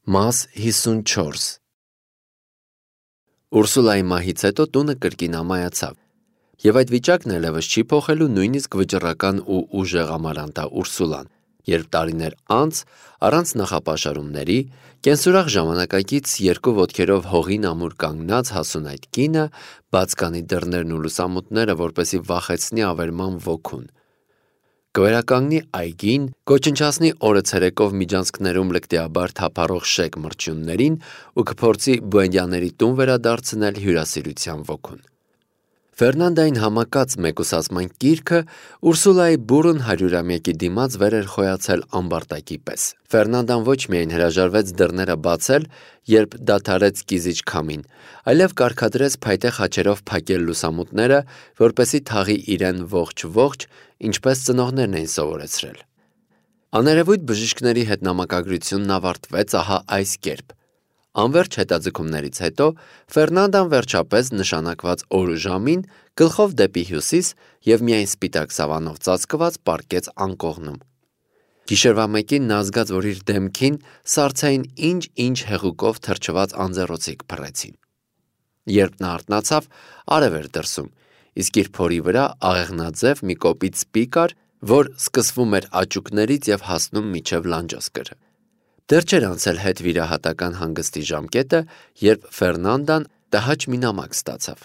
Մաս 54 Ուրսուլայի մահից հետո տունը կրկին ամայացավ, և այդ վիճակն այլևս չի փոխելու նույնիսկ վճռական ու ուժեղ Ամարանտա Ուրսուլան, երբ տարիներ անց, առանց նախապաշարումների, կենսուրախ ժամանակակից երկու ոտքերով հողին ամուր կանգնած հասուն այդ կինը բաց կանի դռներն ու լուսամուտները, որպեսզի վախեցնի ավերման ոգուն, կվերականգնի այգին, կոչնչացնի օրը ցերեկով միջանցքներում լկտիաբար թափառող շեկ մրջյուններին ու կփորձի Բուենդիաների տուն վերադարձնել հյուրասիրության ոգուն։ Ֆերնանդային համակած մեկուսացման կիրքը Ուրսուլայի բուռն 100-ամյակի դիմաց վեր էր խոյացել ամբարտակի պես։ Ֆերնանդան ոչ միայն հրաժարվեց դռները բացել, երբ դադարեց կիզիչ քամին, այլև կարգադրեց փայտե խաչերով փակել լուսամուտները, որպեսզի թաղի իրեն ողջ, ինչպես ծնողներն էին սովորեցրել։ Աներևույթ բժիշկների հետ նամակագրությունն ավարտվեց ահա այս կերպ. Անվերջ հետաձգումներից հետո Ֆերնանդան վերջապես նշանակված օր ու ժամին գլխով դեպի հյուսիս և միայն սպիտակ սավանով ծածկված պառկեց անկողնում։ Գիշերվա մեկին նա զգաց, որ իր դեմքին սառցային ինչ հեղուկով թրջված անձեռոցիկ փռեցին։ Երբ նա արթնացավ, արև էր դրսում, իսկ իր փորի վրա աղեղնաձև մի կոպիտ սպի կար, որ սկսվում էր աճուկներից և հասնում մինչև լանջոսկրը։ Դեռ չէր անցել հետվիրահատական հանգստի ժամկետը, երբ Ֆերնանդան տհաճ մի նամակ ստացավ։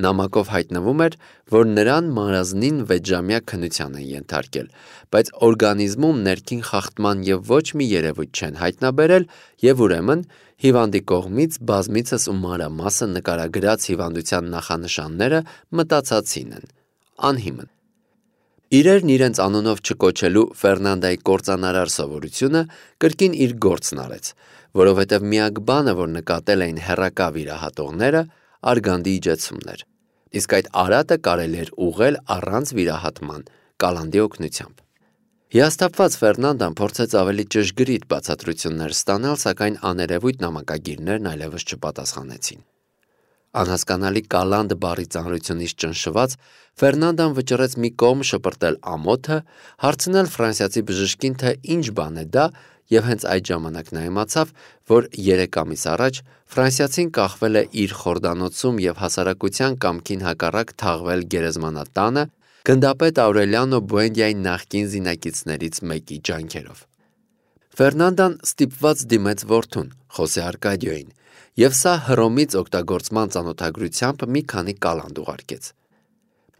Նամակով հայտնվում էր, որ նրան մարազնին 6-ժամյա քննության են ենթարկել, բայց օրգանիզմում ներքին խախտման և ոչ մի երևույթ չեն հայտնաբերել և ուրեմն հիվանդի կողմից բազմիցս ու մանրամասն նկարագրած հիվանդության նախանշանները մտածածին են, անհիմն։ Իրերն իրենց անունով չկոչելու Ֆերնանդայի կործանարար սովորությունը կրկին իր գործն արեց, որովհետև միակ բանը, որ նկատել էին հեռակա վիրահատողները, արգանդի իջեցումն էր, իսկ այդ արատը կարելի էր ուղղել առանց վիրահատման, կալանդի օգնությամբ։ Հիասթափված Ֆերնանդան փորձեց ավելի ճշգրիտ բացատրություններ ստանալ, սակայն աներևույթ նամակագիրներն այլևս չպատասխանեցին։ Անհասկանալի կալանդ բառի ծանրությունից ճնշված Ֆերնանդան վճռեց մի կողմ շպրտել ամոթը, հարցնել ֆրանսիացի բժշկին, թե ինչ բան է դա, և հենց այդ ժամանակ նա իմացավ, որ 3 ամիս առաջ ֆրանսիացին կախվել է իր խորդանոցում և հասարակության կամքին հակառակ թաղվել գերեզմանատանը գնդապետ Աուրելիանո Բուենդիայի նախկին զինակիցներից մեկի ջանքերով։ Ֆերնանդան ստիպված դիմեց որդուն՝ Խոսե Արկադիոյին, և սա Հռոմից օգտագործման ծանոթագրությամբ մի քանի կալանդ ուղարկեց։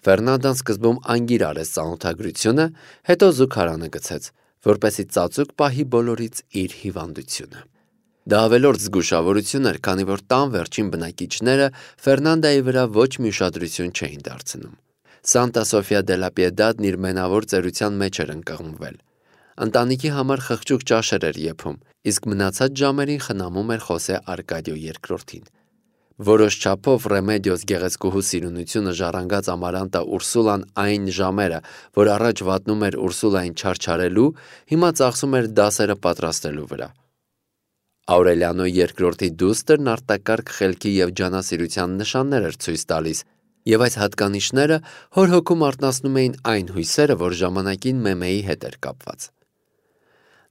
Ֆերնանդան սկզբում անգիր արեց ծանոթագրությունը, հետո զուգարանը գցեց, որպեսզի ծածուկ պահի բոլորից իր հիվանդությունը։ Դա ավելորդ զգուշավորություն էր, քանի որ տան վերջին բնակիչները Ֆերնանդայի վրա ոչ մի ուշադրություն չէին դարձնում։ Սանտա Սոֆիա դելա Պիեդադն իր մենավոր ծերության մեջ էր ընկղմվել։ Ընտանիքի համար խղճուկ ճաշեր էր եփում, իսկ մնացած ժամերին խնամում էր Խոսե Արկադիո II-ին։ Որոշ չափով Ռեմեդիոս գեղեցկուհու սիրունությունը ժառանգած Ամարանտա Ուրսուլան այն ժամերը, որ առաջ վատնում էր Ուրսուլային չարչարելու, հիմա ծախսում էր դասերը պատրաստելու վրա։ Աուրելիանո II-ի դուստրն արտակարգ խելքի և ջանասիրության նշաններ էր ցույց տալիս, և այս հատկանիշները հոր հոգում արթնացնում էին այն հույսերը, որ ժամանակին Մեմեի հետ էր կապված։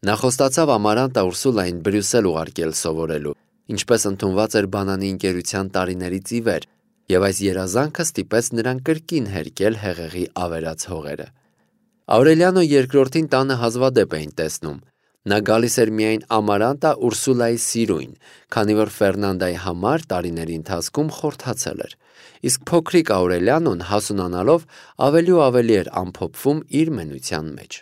Նա խոստացավ Ամարանտա Ուրսուլային Բրյուսել ուղարկել սովորելու, ինչպես ընդունված էր բանանի ընկերության տարիներից ի վեր, և այս երազանքը ստիպեց նրան կրկին հերկել հեղեղի ավերած հողերը։ Աուրելիանո II-ին տանը հազվադեպ էին տեսնում։ Նա գալիս էր միայն Ամարանտա Ուրսուլայի սիրույն, քանի որ Ֆերնանդայի համար տարիների ընթացքում խորթացել էր, իսկ փոքրիկ Աուրելիանոն հասունանալով ավելի ու ավելի էր ամփոփվում իր մենության մեջ։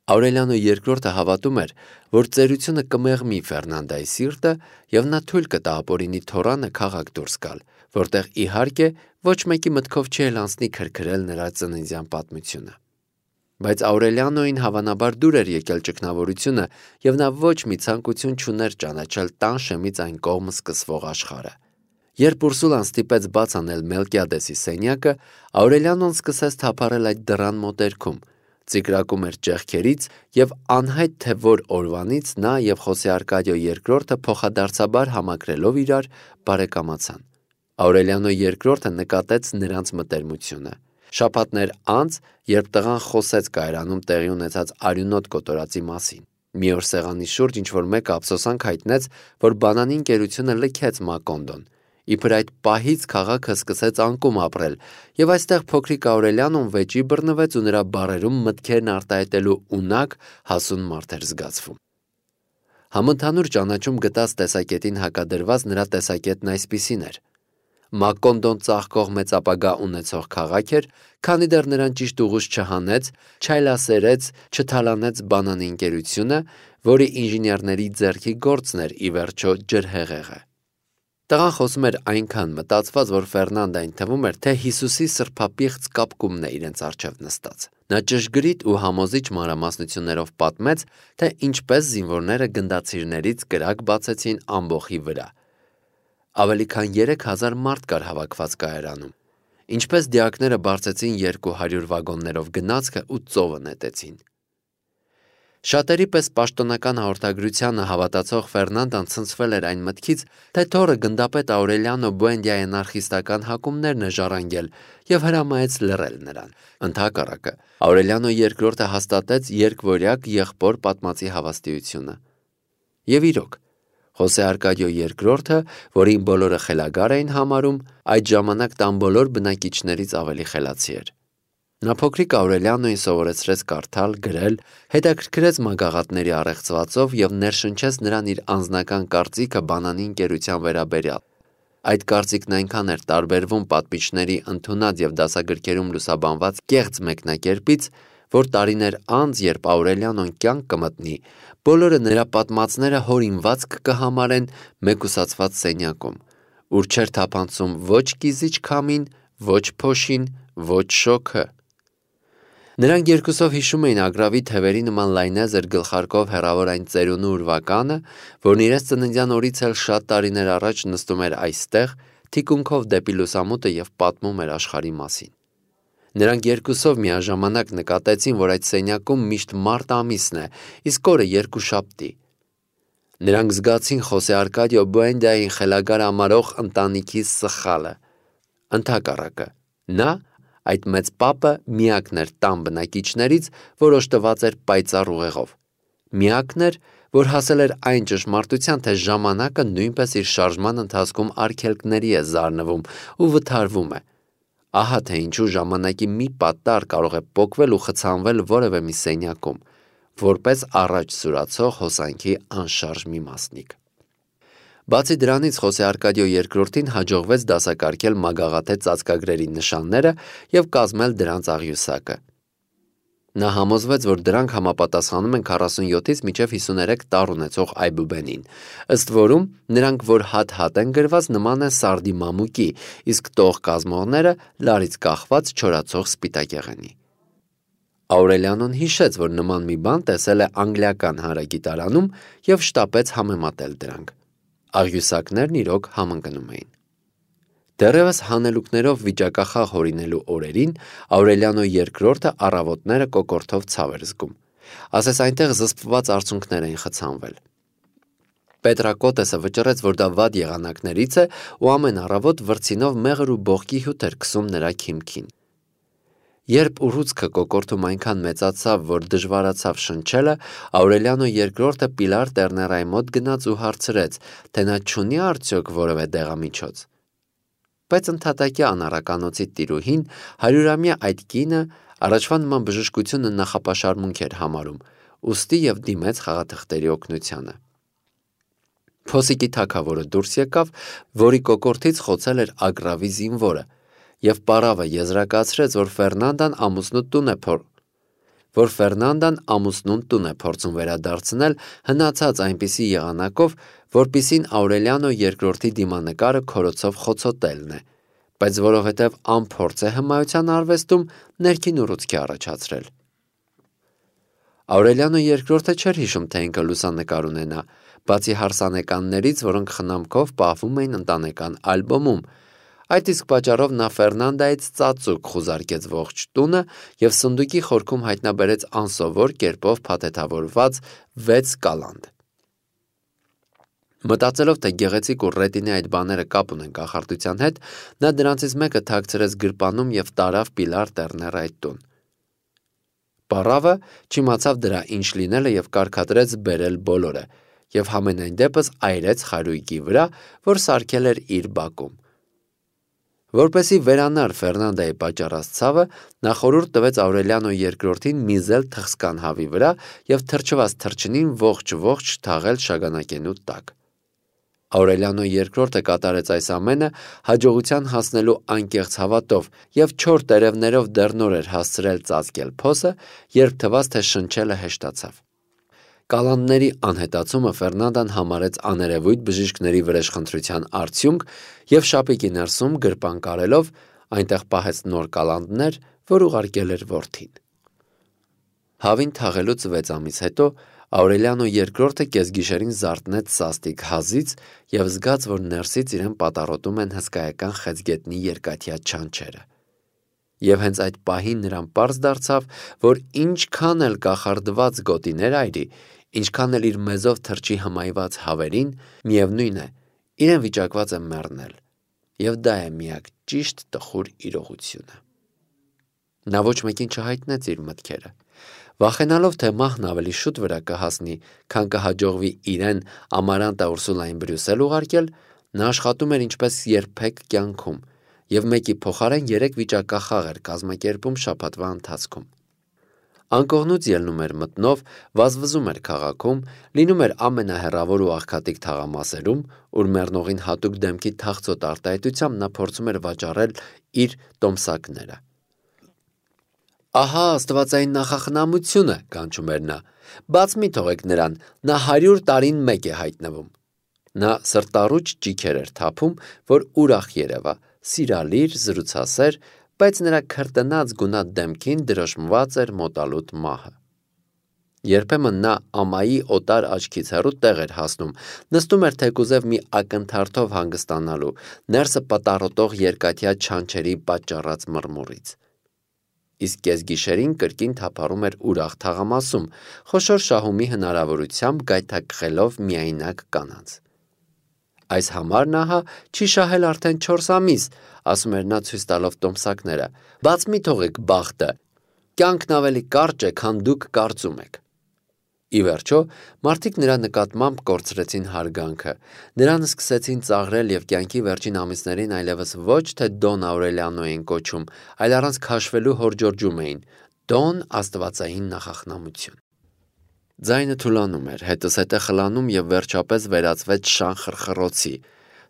Աուրելիանո II-ը հավատում էր, որ ծերությունը կմեղմի Ֆերնանդայի սիրտը, և նա թույլ կտա ապօրինի թոռանը քաղաք դուրս գալ, որտեղ իհարկե ոչ մեկի մտքով չի էլ անցնի քրքրել նրա ծննդյան պատմությունը։ Բայց Աուրելիանոին հավանաբար դուր էր եկել ճգնավորությունը, և նա ոչ մի ցանկություն չուներ ճանաչել տան շեմից այն կողմ սկսվող աշխարհը։ Երբ Ուրսուլան ստիպեց բաց անել Մելկիադեսի սենյակը, Աուրելիանոն սկսեց թափառել այդ դռան մոտերքում, ծիկրակում էր ճեղքերից, և անհայտ թե որ օրվանից նա և Խոսե Արկադիո II-ը փոխադարձաբար համակրելով իրար բարեկամացան։ Աուրելիանո II-ը նկատեց նրանց մտերմությունը։ Շաբաթներ անց, երբ տղան խոսեց կայարանում տեղի ունեցած արյունոտ կոտորածի մասին։ Մի օր սեղանի շուրջ ինչ-որ մեկը ափսոսանք հայտնեց, որ բանանի ընկերությունը լքեց Մակոնդոն։ Իբր այդ պահից քաղաքը սկսեց անկում ապրել, եւ այստեղ փոքրիկ Աուրելիանոն վեճի բռնվեց ու նրա բառերում մտքերն արտահայտելու ունակ, հասուն մարդ էր զգացվում։ Համընդհանուր ճանաչում գտած տեսակետին հակադրված նրա տեսակետն այսպիսին էր. Մակոնդոն ծաղկող մեծ ապագա ունեցող քաղաք էր, քանի դեռ նրան ճիշտ ուղուց չհանեց, չայլասերեց, չթալանեց բանանի ընկերությունը, որի ինժեներների ձեռքի գործն էր ի վերջո ջրհեղեղը։ Տղան խոսում էր այնքան մտածված, որ Ֆերնանդային թվում էր, թե Հիսուսի սրբապիղծ կապկումն է իրենց առջև նստած։ Նա ճշգրիտ ու համոզիչ մանրամասնություններով պատմեց, թե ինչպես զինվորները գնդացիրներից կրակ բացեցին ամբոխի վրա։ Ավելի քան 3000 մարդ կար հավաքված կայարանում։ Ինչպես դիակները բարձեցին 200 վագոններով գնացքը ու ծովը նետեցին։ Շատերի պես պաշտոնական հաղորդագրությանը հավատացող Ֆերնանդան ցնցվել էր այն մտքից, թե թոռը գնդապետ Աուրելիանո Բուենդիայի անարխիստական հակումներն է ժառանգել եւ հրամայեց լռել նրան։ Ընդհակառակը, Աուրելիանո II հաստատեց երկվորյակ եղբոր պատմածի հավաստիությունը։ Եվ իրոք, Խոսե Արկադիո II, որին բոլորը խելագար էին համարում, այդ ժամանակ տան բոլոր բնակիչներից ավելի խելացի էր։ Նա փոքրիկ Աուրելիանոին սովորեցրեց կարդալ, գրել, հետաքրքրեց մագաղատների առեղծվածով եւ ներշնչեց նրան իր անձնական կարծիքը բանանի ընկերության վերաբերյալ։ Այդ կարծիքն այնքան էր տարբերվում պատմիչների ընդունած եւ դասագրքերում լուսաբանված կեղծ մեկնակերպից, որ տարիներ անց, երբ Աուրելիանոն կյանք կմտնի, բոլորը նրա պատմածները հորինված կհամարեն մեկուսացված սենյակում, ուր չէր թափանցում ոչ կիզիչ քամին, ոչ փոշին, ոչ շոգը։ Նրանք երկուսով հիշում էին Ագրավի թևերի նման լայնազր գլխարկով հեռավոր այն ծերունու ուրվականը, որն իրենց ծննդյան օրից էլ շատ տարիներ առաջ նստում էր այստեղ, թիկունքով դեպի լուսամուտը եւ պատմում էր աշխարհի մասին։ Նրանք երկուսով միաժամանակ նկատեցին, որ այդ սենյակում միշտ մարտ ամիսն է, իսկ օրը երկուշաբթի։ Նրանք զգացին Խոսե Արկադիո Բուենդիային խելագար ամարող ընտանիքի սխալը։ Ընդհակառակը, նա, այդ մեծ պապը, միակն էր տան բնակիչներից, որ օժտված էր պայծառ ուղեղով։ Միակն էր, որ հասել էր այն ճշմարտության, թե ժամանակը նույնպես իր շարժման ընթացքում արգելքների է զարնվում ու վթարվում է։ Ահա թե ինչու ժամանակի մի պատտար կարող է պոկվել ու խցանվել որևէ մի սենյակում, որպես առաջ սուրացող հոսանքի անշարժ մի մասնիկ։ Բացի դրանից Խոսե Արկադիո II-ին հաջողվեց դասակարգել մագաղաթե ծածկագրերի նշանները եւ կազմել դրանց աղյուսակը։ Նա համոզվեց, որ դրանք համապատասխանում են 47-ից մինչև 53 տառ ունեցող այբուբենին, ըստ որում նրանք, որ հատ-հատ են գրված, նման են սարդի մամուկի, իսկ տող կազմողները լարից կախված չորացող սպիտակեղենի։ Աուրելիանոն հիշեց, որ նման մի բան տեսել է անգլիական հանրագիտարանում եւ շտապեց համեմատել դրանք։ Աղյուսակներն իրոք համընկնում էին։ Դեռևս հանելուկներով վիճակախաղ հորինելու օրերին Աուրելիանո II առավոտները կոկորդով ցավ էր զգում։ Ասես այնտեղ զսպված արցունքներ էին խցանվել։ Պետրակոտեսը վճռեց, որ դա վատ եղանակներից է ու ամեն առավոտ վրձինով մեղր ու բողկի հյութ էր քսում նրա քիմքին։ Երբ ուռուցքը կոկորդում այնքան մեծացավ, որ դժվարացավ շնչելը, Աուրելիանո II Պիլար Տերներայի մոտ գնաց ու հարցրեց, թե նա չունի արդյոք որևէ դեղամիջոց։ Բայց ընդհատակյա անառականոցի տիրուհին 100-ամյա այդ կինը առաջվա նման բժշկությունը նախապաշարմունք էր համարում, ուստի եւ դիմեց խաղաթղթերի օգնությանը։ Փոսիկի թագավորը դուրս եկավ, որի կոկորդից խոցել էր Ագրավի զինվորը, եւ պարավը եզրակացրեց, որ Ֆերնանդան ամուսնուն տուն է փորձում վերադարձնել, հնացած այնպիսի եղանակով, որպիսին Աուրելիանո II դիմանկարը քորոցով խոցոտելն է, բայց որովհետև անփորձ է հմայության արվեստում, ներքին ուռուցքի առաջացրել։ Աուրելիանո II չէր հիշում, թե ինքը լուսանկար ունենա, բացի հարսանեկաններից, որոնք խնամքով պահվում էին ընտանեկան ալբոմում։ Այդ իսկ պատճառով նա Ֆերնանդայից ծածուկ խուզարկեց ողջ տունը եւ սնդուկի խորքում հայտնաբերեց անսովոր կերպով փաթեթավորված 6 կալանդ։ Մտածելով, թե գեղեցիկ ու ռետինի այդ բաները կապ ունեն կախարդության հետ, նա դրանցից մեկը թաքցրեց գրպանում եւ տարավ Պիլար Տերներայի տուն։ Սպառավը չիմացավ դրա ինչ լինելը եւ կարգադրեց բերել բոլորը եւ համենայն դեպս այրեց խարույկի վրա, որ սարքել էր իր բակում։ Որպեսզի վերանար Ֆերնանդայի պատճառած ցավը, նա խորհուրդ տվեց Աուրելիանո II-ին միզել թխսկան հավի վրա եւ թրջված թրջնին ողջ թաղել շագանակենու տակ։ Աուրելիանո II-ը կատարեց այս ամենը հաջողության հասնելու անկեղծ հավատով եւ 4 տերևներով դեռ նոր էր հասցրել ծածկել փոսը, երբ թվաց, թե շնչելը հեշտացավ։ Կալանդների անհետացումը Ֆերնանդան համարեց աներևույթ բժիշկների վրեժխնդրության արդյունք եւ շապիկի ներսում գրպան կարելով այնտեղ պահեց նոր կալանդներ, որ ուղարկել էր որդին։ Հավին թաղելուց 6 ամիս հետո Աուրելիանո II-ը կեսգիշերին զարթնեց սաստիկ հազից եւ զգաց, որ ներսից իրեն պատառոտում են հսկայական խեցգետնի երկաթյա չանչերը։ Եվ հենց այդ պահին նրան պարզ դարձավ, որ ինչքան էլ կախարդված գոտիներ այրի, ինչքան էլ իր մեզով թրջի հմայված հավերին, միևնույն է, իրեն վիճակված է մեռնել, եւ դա է միակ ճիշտ տխուր իրողությունը։ Նա ոչ մեկին չհայտնեց իր մտքերը։ Վախենալով, թե մահն ավելի շուտ վրա կհասնի, քան կհաջողվի իրեն Ամարանտա Ուրսուլային Բրյուսել ուղարկել, նա աշխատում էր ինչպես երբեք կյանքում եւ մեկի փոխարեն 3 վիճակախաղ էր կազմակերպում շաբաթվա ընթացքում։ Անկողնուց ելնում էր մտնով, վազվզում էր քաղաքում, լինում էր ամենահեռավոր ու աղքատիկ թաղամասերում, ուր մեռնողին հատուկ դեմքի թախծոտ արտահայտությամբ նա փորձում էր վաճառել իր տոմսակները։ Ահա աստվածային նախախնամությունը, կանչում էր նա, բաց մի թողեք նրան, նա 100 տարին մեկ է հայտնվում։ Նա սրտառուչ ճիքեր էր թափում, որ ուրախ երևա, սիրալիր, զրուցասեր, բայց նրա քրտնած գունատ դեմքին դրոշմված էր մոտալուտ մահը։ Երբեմն նա ամայի օտար աչքից հեռու տեղ էր հասնում, նստում էր թեկուզև մի ակնթարթով հանգստանալու, ներսը պատառոտող երկաթյա չանչերի պատճառած մռմուռից։ Իսկ կեսգիշերին կրկին թափառում էր ուրախ թաղամասում, խոշոր շահումի հնարավորությամբ գայթակղելով միայնակ կանանց։ Այս համարն ահա չի շահել արդեն 4 ամիս, ասում էր նա ցույց տալով տոմսակները, բաց մի թողեք բախտը, կյանքն ավելի կարճ է, քան դուք կարծում եք։ Ի վերջո, մարդիկ նրա նկատմամբ կորցրեցին հարգանքը, նրան սկսեցին ծաղրել եւ կյանքի վերջին ամիսներին այլևս ոչ թե Դոն Աուրելիանո էին կոչում, այլ առանց քաշվելու հորջորջում էին. Դոն աստվածային նախախնամություն։ Ձայնը թուլանում էր, հետզհետե խլանում եւ վերջապես վերածվեց շան խրխրոցի,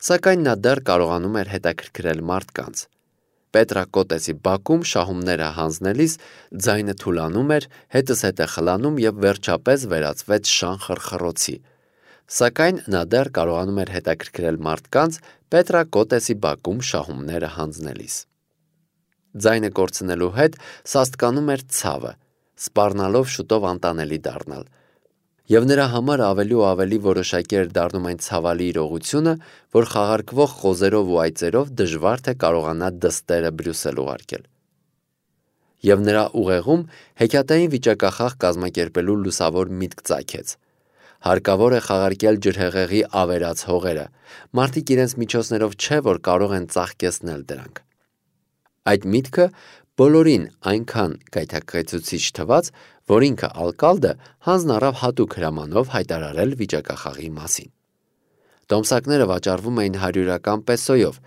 սակայն նա դեռ կարողանում էր հետաքրքրել մարդկանց։ Պետրակոտեսի բակում շահումները հանձնելիս ձայնը թուլանում էր, հետզհետե խլանում եւ վերջապես վերածվեց շան խրխրոցի, սակայն նա դեռ կարողանում էր հետաքրքրել մարդկանց Պետրակոտեսի բակում շահումները հանձնելիս։ Ձայնը կորցնելու հետ սաստկանում էր ցավը, սպառնալով շուտով անտանելի դառնալ, եւ նրա համար ավելի ու ավելի որոշակի էր դառնում այն ցավալի իրողությունը, որ խաղարկվող խոզերով ու այծերով դժվար թե կարողանա դստերը Բրյուսել ուղարկել։ Եվ նրա ուղեղում հեքիաթային վիճակախաղ կազմակերպելու լուսավոր միտք ծագեց։ Հարկավոր է խաղարկել ջրհեղեղի ավերած հողերը, մարդիկ իրենց միջոցներով չէ, որ կարող են ծաղկեցնել դրանք։ Այդ միտքը բոլորին այնքան գայթակղեցուցիչ թվաց, որ ինքը Ալկալդը հանձն առավ հատուկ հրամանով հայտարարել վիճակախաղի մասին։ Տոմսակները վաճառվում էին 100 պեսոյով։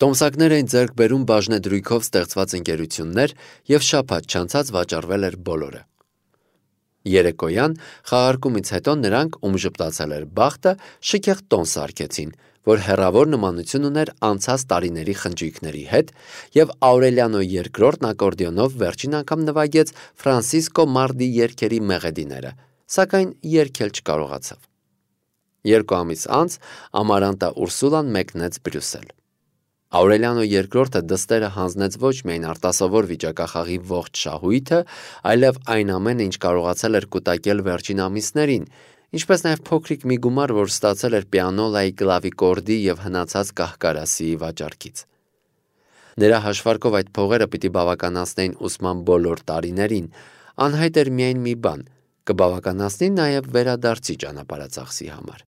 Տոմսակներ էին ձեռք բերում բաժնեդրույքով ստեղծված ընկերություններ եւ շաբաթ չանցած վաճառվել էր բոլորը։ Երեկոյան խաղարկումից հետո նրանք, ում ժպտացել էր բախտը, շքեղ տոն սարքեցին, որ հեռավոր նմանություն ուներ անցած տարիների խնջույքների հետ, եւ Աուրելիանո II-ն ակորդեոնով վերջին անգամ նվագեց Ֆրանսիսկո Մարդի երգերի մեղեդիները, սակայն երգել չկարողացավ։ 2 ամիս անց Ամարանտա Ուրսուլան մեկնեց Բրյուսել։ Աուրելիանո II-ը դստերը հանձնեց ոչ միայն արտասովոր վիճակախաղի ողջ շահույթը, այլև այն ամենը, ինչ կարողացել էր կուտակել վերջին ամիսներին, ինչպես նաև փոքրիկ մի գումար, որ ստացել էր պիանոլայի կլավիկորդի եւ հնացած կահկարասիի վաճառքից։ Նրա հաշվարկով այդ փողերը պիտի բավականացնեին ուսման բոլոր տարիներին, անհայտ էր միայն մի բան՝ կբավականացնի նաև վերադարձի ճանապարհածախսի համար։